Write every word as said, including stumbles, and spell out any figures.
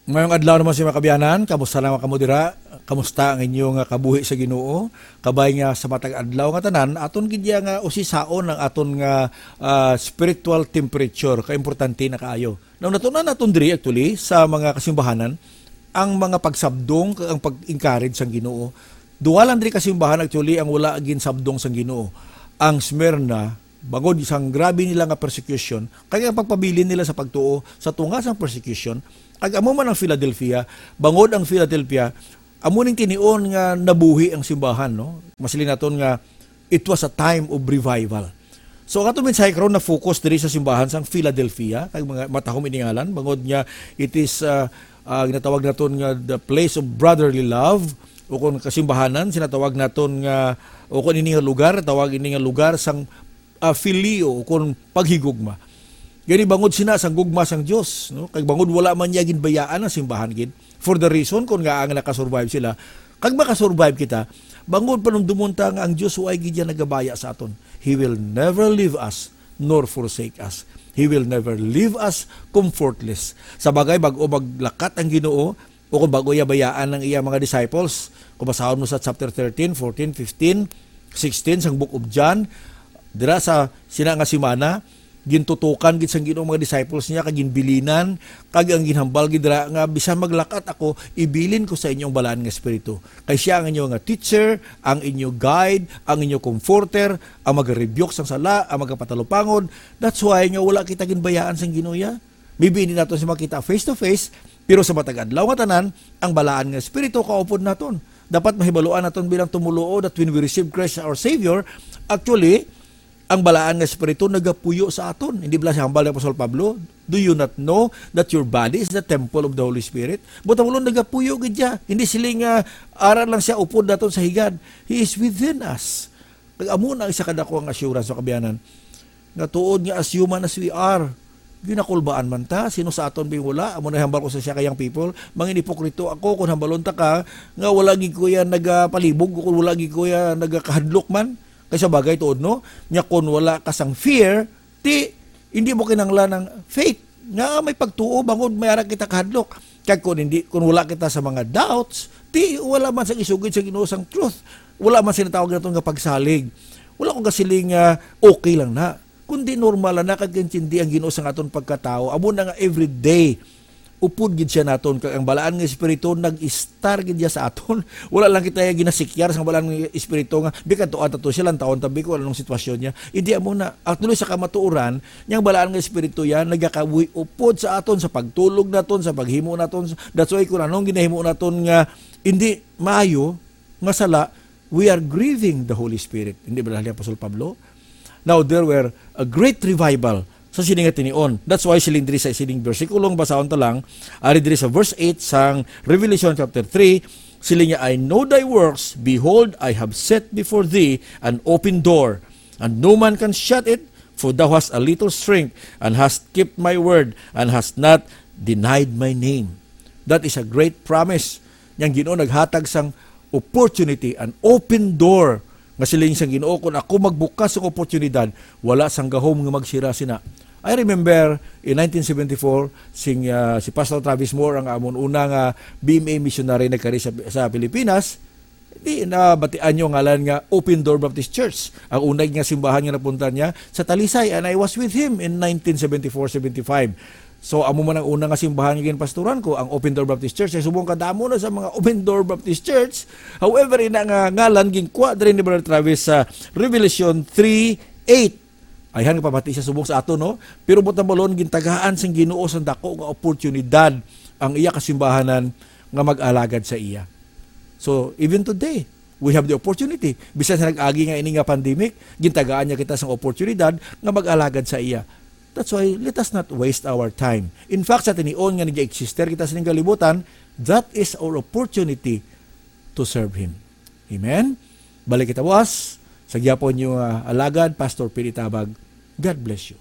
Ngayong adlaw naman, sa mga kaabyanan, kamusta naman kamo dira? Kamusta ang inyo nga kabuhi sa Ginoo? Kabay nga sa matag adlaw nga tanan, aton gid ya nga usisaon ang aton nga, ah, spiritual temperature. Kaimportante na kaayo. Now, natun-an naton diri actually sa mga kasimbahanan ang mga pagsabdong kag ang pag-encourage sang Ginoo. Duha lang diri kasimbahan actually ang wala ginsabdong sang Ginoo. Ang Smyrna, bangod sang grabe nila nga persecution, kag ang pagpabilin nila sa pagtuo sa tunga sang persecution, kag amo man ang Philadelphia, bangod ang Philadelphia, amo ning tinion nga nabuhi ang simbahan, no? Masiling naton nga it was a time of revival. So, ang aton mensahe karon na-focus diri sa simbahan sang Philadelphia, kag mga matahom ini ngalan, bangod nga it is, ah, ah, ginatawag naton nga the place of brotherly love, o kung kasimbahanan, sinatawag naton nga, o kung ini nga lugar, tawag ini nga lugar sang, ah, filio, o kung paghigugma. Gani bangod sina sang gugma sang Dios, no? Kag bangod wala man niya ginbayaan ang simbahan gid. For the reason kung nga ang nakasurvive sila, kag makasurvive kita, bangod panumdumon ta nga ang Dios way gid niya nagabaya sa aton. He will never leave us nor forsake us. He will never leave us comfortless. Sa bagay, bag-o maglakat ang Ginoo, o kung bag-o iya bayaan ang iya mga disciples, kung basahon mo sa chapter thirteen, fourteen, fifteen, sixteen sang Book of John, dira sa sina nga simana, gintutukan gid sang Ginoo mga disciples niya, kag ginbilinan, kag ang ginhambal gid dira nga, "Bisan maglakat ako, ibilin ko sa inyo ang Balaan nga Espiritu. Kay siya ang inyo nga teacher, ang inyo guide, ang inyo comforter, ang magarebuke sang sala, ang magapatalupangod." That's why nga wala kita ginbayaan sang Ginoo ya. Maybe hindi naton siya makita face to face, pero sa matag adlaw nga tanan, ang Balaan nga Espiritu kaupod naton. Dapat mahibaluan naton bilang tumoluo that when we receive Christ as our Savior, actually, ang Balaan nga Espiritu nagapuyo sa aton. Hindi bala siya hambal ni Apostol Pablo, "Do you not know that your body is the temple of the Holy Spirit?" But ang ulo nagapuyo gid siya. Hindi siling nga ara lang siya upod naton sa higad. He is within us. Kag amo na ang isa ka dako nga assurance sa kaabyanan, nga tuod nga as human as we are, ginakulbaan man ta. Sino sa aton bing wala? Amo na hambal ko sa siya ka young people, mangin ipokrito ako kung hambalon ta ka nga wala gid ko yan nagapalibog, kung wala gid ko yan nagakahadlok man. Kay sa bagay, tuod, no? Nya kung wala ka sang fear, ti hindi mo kinahanglan ang faith nga may pagtuo bangod may ara kita kahadlok. Kag kung hindi, kung wala kita sa mga doubts, ti wala man sang isugid sa Ginoo sang truth. Wala man sinatawag naton nga pagsalig. Wala ko gasiling nga okay lang na. Kundi normal na kag intindi ang Ginoo sang aton pagkatawo. Amo na nga everyday upod gid siya naton, kag ang Balaan nga Espiritu nag-istar gid siya sa aton. Wala lang kita ginasikyar sang Balaan nga Espiritu nga, "Bi, kadtuan ta to siya, lantawon ta, bi, kung anong sitwasyon niya." Hindi, amo na. Actually, sa kamatuoran, niyang Balaan nga Espiritu yan nagakabuhi upod sa aton, sa pagtulog naton, sa paghimo naton. That's why kung anong ginahimo naton nga hindi maayo, nga sala, we are grieving the Holy Spirit. Hindi ba ni Apostol Pablo? Now, there were a great revival sa sini nga tinion. That's why siling diri sa sining bersikulo nga basahon ta lang, ari diri sa verse eight sang Revelation chapter three, siling niya, "I know thy works, behold, I have set before thee an open door, and no man can shut it, for thou hast a little strength, and hast kept my word, and hast not denied my name." That is a great promise. Yang Ginoo naghatag sang opportunity, an open door, nga siling sang Ginoo, "Kung ako magbukas sang oportunidad, wala sang gahom nga magsira sina." I remember in nineteen seventy-four, sing, ah, si Pastor Travis Moore ang amon una nga B M A missionary nagkari sa, sa Pilipinas. Di na batian niyo ngalan nga Open Door Baptist Church. Ang una nga simbahan nga napunta niya sa Talisay, and I was with him in nineteen seventy-four seventy-five. So, amo man ang una nga simbahan nga ginpastoran ko, ang Open Door Baptist Church. Ay, subong kadamo na sa mga Open Door Baptist Church. However, ina nga ngalan, ginkuha diri ni Brother Travis sa Revelation three eight. Ayhan nga pamati siya subong sa ato, no? Pero buot silingon, gintagaan sang Ginoo sang dako nga oportunidad ang iya kasimbahanan nga mag-alagad sa iya. So, even today, we have the opportunity. Bisan sa nag-agi nga ini nga pandemic, gintagaan niya kita sang oportunidad nga mag-alagad sa iya. That's why, let us not waste our time. In fact, sa tinion nga nag-exist kita sining kalibutan, that is our opportunity to serve Him. Amen? Balik kita buas sa gihapon niyo nga alagad, Pastor Pete Tabag. God bless you.